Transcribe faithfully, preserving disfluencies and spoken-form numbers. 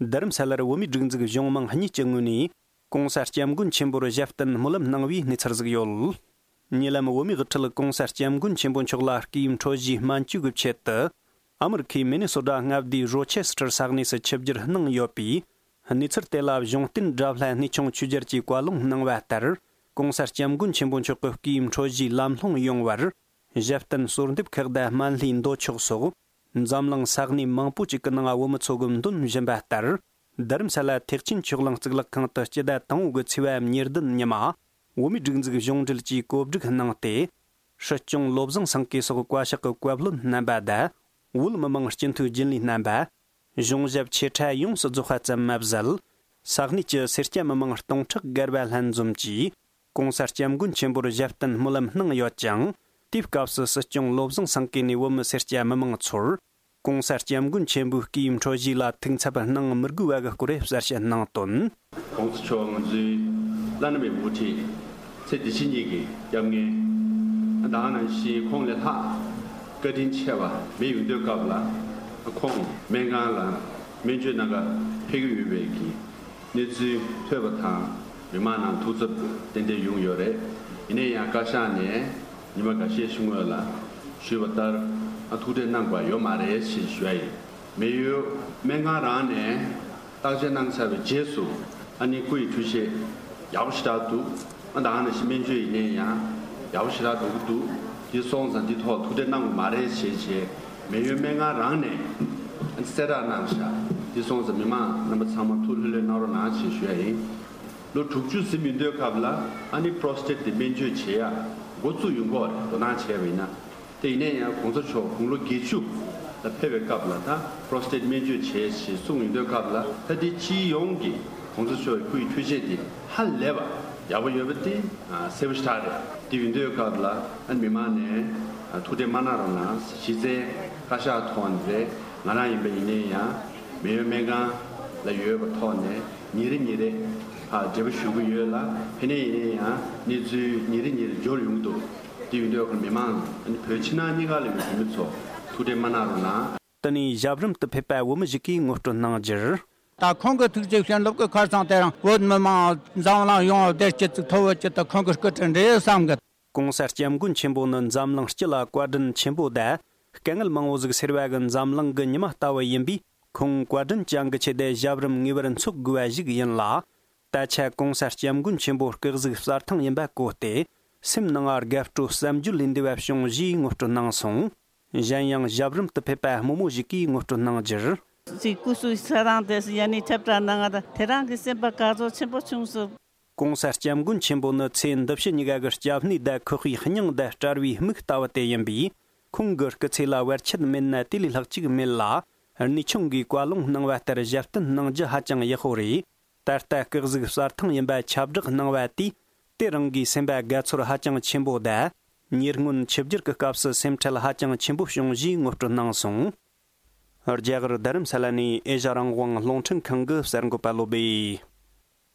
རྡ་རམ་ས་ལར་བོད་མིའི་སྒྲིག་འཛུགས་གཞུང་མང་གཉིས་ཀྱི་ངོས་ནས་༧གོང་ས་༧སྐྱབས་མགོན་ཆེན་པོར་ཞབས་བརྟན་སྨོན་ལམ་གནང་བའི་གནས་ཚུལ་ཟིག་ཡོད། ཉེ་ལམ་བོད་མིའི་དབུ་ཁྲིད་༧གོང་ས་༧སྐྱབས་མགོན་ཆེན་པོ་མཆོག་ལ་སྐུའི་འཕྲོད་བཞེས་སྨན་བཅོས་ཀྱི་ཆེད་དུ། ཨ་མི་རི་ཁའི་མི་ནི་སོ་ཊ་མངའ་སྡེའི་རོ་ཆེ་སི་ཊར་ས་གནས་སུ་ཆིབས་བསྒྱུར་གནང་ཡོད་པས། གནས་ཚུལ་དེ་ལ་གཞུང་བསྟེན་དགྲ་ལྷ་གནས་ཆུང་ཆོས་རྒྱལ་གྱིས་བཀའ་ལུང་གནང་བ་ལྟར། ༧གོང་ས་༧སྐྱབས་མགོན་ཆེན་པོ་མཆོག་གི་སྐུའི་འཕྲོད་བཞེས་ལམ་ལྷོང་ཡོང་བར། ཞབས་བརྟན་གསོལ་འདེབས་ཁག་དང་སྨན་ལྷའི་མདོ་ཆོག་སོགས། འཛམ་གླིང་ས་གནས་མང་པོ་ཅིག་གི་ནང་བོད་མི་ཚོ་གི་འདོན་བཞིན་པ་ལྟར། རྡ་རམ་ས་ལ་ཐེག་ཆེན་ཆོས་གླིང་གཙུག་ལག་ཁང་དུ་སྤྱི་ཟླ་དང་པོ་གི་ཚེས་པ་ཉེར་བདུན་ཉི་མ། བོད་མིའི་སྒྲིག་འཛུགས་གཞུང་འབྲེལ་གྱིས་གོ་སྒྲིག་གནང་སྟེ། སྲིད་སྐྱོང་བློ་བཟང་སེང་གེ་སོགས་བཀའ་ཤག་གི་བཀའ་བློན་རྣམ་པ་དང་། བོད་མི་མང་སྤྱི་འཐུས་རྒྱུན་ལས་རྣམ་པ། གཞུང་ཞབས་ཆེ་ཕྲ་ཡོངས་སུ་རྫོགས་པ་ཙམ་མ་ཟད། ས་གནས་ཀྱི་སེར་སྐྱ་མི་མང་སྟོང་ཕྲག་བརྒལ་བ་ལྷན་འཛོམས་ཀྱིས། ༧གོང་ས་༧སྐྱབས་མགོན་ཆེན་པོར་ཞབས་བརྟན་སྨོན་ལམ་གནང་ཡོད་ཅིང་། དེའི་སྐབས་སུ་སྲིད་སྐྱོང་བློ་བཟང་སེང་གེ་ནས་བོད་མི་སེར་སྐྱ་མི་མང་ཚོར། ༧གོང་ས་༧སྐྱབས་མགོན་ཆེན་པོའི་སྐུའི་འཕྲོད་བཞེས་ལ་ཐུགས་འཚབ་གནང་མི་དགོས་པ་གི་སྐོར་གསལ་བཤད་གནང་དོན། ༸གོང་ས་མཆོག་ང་ཚོའི་བླ་ན་མེད་པའི་དབུ་ཁྲིད། ཚེ་འདི་ཕྱི་གཉིས་ཀྱི་སྐྱབས་མགོན། ད་ག་ནང་བཞིན་ཁོང་ལས་ལྷག་བཀའ་དྲིན་ཆེ་བ་མེད་ཡོང་དུས་སྐབས་ལ། ཁོང་སྨན་ཁང་ལ་སྨན་བཅོས་གནང་ག་ཕེབས་ཀྱི་ཡོད་པའི་གི་གནས་ཚུལ་ཐོས་པ་དང་། མི་མང་ནང་ཐུགས་འཚབ་ཏན་ཏན་ཡོང་ཡོད་རེད། ཡིན་ན་ཡང་བཀའ་ཤག་ནས་ཉི་མ་འགའ་ཤས་ཤིག་སྔོན་ལ་ཞུས་པ་ལྟར། ཨ་ཐུགས་ཁྲལ་གནང་དགོས་ཡོད་མ་རེད་ཞེས་ཞུ་ཡ་ཡིན། མེ་ཡོད་སྨན་ཁང་རང་ནས་བརྟག་དཔྱད་གནང་ཚར་བའི་རྗེས་སུ། ཨ་ནི་སྐུ་ཡི་འཕྲོད་བཞེས་ཡག་པོ་ཞེ་དྲག་འདུག་ཨ་ད་ག་ནང་བཞིན་སྨན་བཅོས་ཡིན་ནའི་ཡང་ཡག་པོ་ཞེ་དྲག་འགྲོ་གི་འདུག་དེ་སོང་ཙང་འདི་ཐོག་ཐུགས་ཁྲལ་གནང་དགོས་མ་རེད་ཞེས་བྱས། མེ་ཡོད་སྨན་ཁང་རང་ནས་གསལ་བསྒྲགས་གནང་བཞག་དེ་སོང་ཙང་མི་མང་རྣམ་པ་ཚང་མ་ཐུགས་ལྷོད་ལྷོད་གནང་རོགས་གནང་ཞེས་ཞུ་ཡ་ཡིན། ལོ་དྲུག་ཅུ་ཟིན་ཡོང་དུས་སྐབས་ལ། ཨ་ནི་པྲོ་སི་ཊེཊ་དེ་སྨན་བཅོས་བྱེད་ཡ་འགོ་བཙུགས་ཡོང་གི་རེད། དོ་སྣང་བྱས་པ་ཡིན་ན། དེ་ཡིན་ན་ཡང་གོང་ས་མཆོག་དགུང་ལོ་བརྒྱད་ཅུ་ལ་ཕེབས་པའི་སྐབས་ལ། ད་པྲོ་སི་ཊེཊ་སྨན་བཅོས་བྱེད་ཞེས་གསུངས་ཡོང་དུས་སྐབས་ལ། ད་དེ་སྤྱི་ཡོངས་ཀྱི་གོང་ས་མཆོག་གི་སྐུ་ཡི་འཕྲོད་བཞེས་དེ་ཧ་ལས་པ་ཡག་པོ་ཡོད་པ་དེ་གསལ་པོ་ཞེ་དྲག་རེད། དེ་ཡིན་དུས་སྐབས་ལ། ཨ་ནི་མི་མང་ནས་ཐུགས་ཁྲལ་མ་གནང་རོགས་གནང་། གཞི་རྩའི་བཀའ་ཤག་ཐོག་ནས་རེད། ང་རང་ཡིན་པ་ཡིན་ནའི་ཡང་མེ་ཡོད་སྨན་ཁང་ལ་ཡོད་པ་ཐོག་ནས་ཉིན་རེ་ཉིན་རེ་ཕར་འབྲེལ་བ་ཞུ་གི་ཡོད་ལ། ཕ་ནས་ཡིན་ནའི་ཡང་གནས་ཚུལ་ཉིན་རེ་ཉིན་རེ་འབྱོར་ཡོང་གི་འདུག་དེ་ཡིན་དུས་ཁོ་མི་མང་། ཨ་ནི་བོད་ཕྱི་ནང་གཉིས་ཀ་ལ་ཡོད་བོད་མི་ཚོ་ཐུགས་ཁྲལ་མ་གནང་རོགས་གནང་། དེ་ནས་ཞབས་རིམ་དུ་ཕེབས་པ་བོད་མི་ཞིག་གིས་ངོ་སྤྲོད་གནང་རྒྱུར། ད་ཁོང་གི་ཐུགས་རྗེ་བྱིན་རླབས་ཀྱི་ཁར་སང་དེ་རིང་བོད་མི་མང་འཛམ་གླིང་ཡོངས་བདེ་སྐྱིད་ཅིག་ཐོབ་ཡོད་ཅེས་ད་ཁོང་གི་སྐུ་དྲིན་རེད་བསམ་གི། ༸གོང་ས་༸སྐྱབས་མགོན་ཆེན་པོ་ནི་འཛམ་གླིང་སྤྱི་ལ་བཀའ་དྲིན་ཆེན་པོ་དང་། དཀའ་ངལ་མང་བོ་ཟིག་སེལ་བ་གི་འཛམ་གླིང་གི་ཉི་མ་ལྟ་བུ་ཡིན་པས། ཁོང་བཀའ་དྲིན་ཅན་གྱི་ཆེད་དུ་ཞབས་རིམ་ངེས་པར་འཚོགས་དགོས་པ་ཞིག་ཡིན་ལ། ད་ཆ་༸གོང་ས་༸སྐྱབས་མགོན་ཆེན་པོ་སྐུ་གཟུགས་གསལ་ཐང་ཡིན་པ་གོ་སྟེ། སེམས་ནང་དགའ་སྤྲོ་བསམ་བརྗོད་ལས་འདས་པ་བྱུང་ཞེས་ངོ་སྤྲོད་གནང་སོང་། གཞན་ཡང་ཞབས་རིམ་དུ་ཕེབས་པ་རྨོ་མོ་ཞིག་གིས་ངོ་སྤྲོད་གནང་རྒྱུར། ཅིག་སྐུ་གཟུགས་གསལ་ཐང་དེ་ཡ་ནི་ཁྱབ་བསྒྲགས་གནང་ང་དང་དེ་རང་གི་སེམས་པ་དགའ་ཚོར་ཆེན་པོ་བྱུང་སོང་། ༸གོང་ས་༸སྐྱབས་མགོན་ཆེན་པོ་ནི་ཚེ་འདི་ཕྱི་གཉིས་ཀ་གི་སྐྱབས་གནས་དང་ཁོག་པའི་སྙིང་དང་དཔྲལ་བའི་མིག་ལྟ་བུ་དེ་ཡིན་པས། ཁོང་གི་སྐུ་ཚེ་ལ་བར་ཆད་མེད་ན་དེ་ལས་ལྷག་ཅིག་མེད་ལ། གནས་ཆུང་གིས་བཀའ་ལུང་གནང་བ་ལྟར་ཞབས་བརྟན་གནང་རྒྱུ་ཧ་ཅང་ཡག་པོ་རེད། ད་ལྟ་སྐུ་གཟུགས་གསལ་ཐང་ཡིན་པ་ཁྱབ་བསྒྲགས་གནང་བ་དེས། དེ་རང་གི་སེམས་པ་དགའ་ཚོར་ཧ་ཅང་ཆེན་པོ་དང་། ཉེ་སྔོན་ཆིབས་བསྒྱུར་གྱི་སྐབས་སུ་སེམས་ཁྲལ་ཧ་ཅང་ཆེན་པོ་བྱུང་ཞེས་ངོ་སྤྲོད་གནང་སོང་། རྒྱ་གར་རྡ་རམ་ས་ལ་ནས་ཨེ་ཤ་རང་དབང་རླུང་འཕྲིན་ཁང་གི་གསར་འགོད་པ་བློ་སྦེ།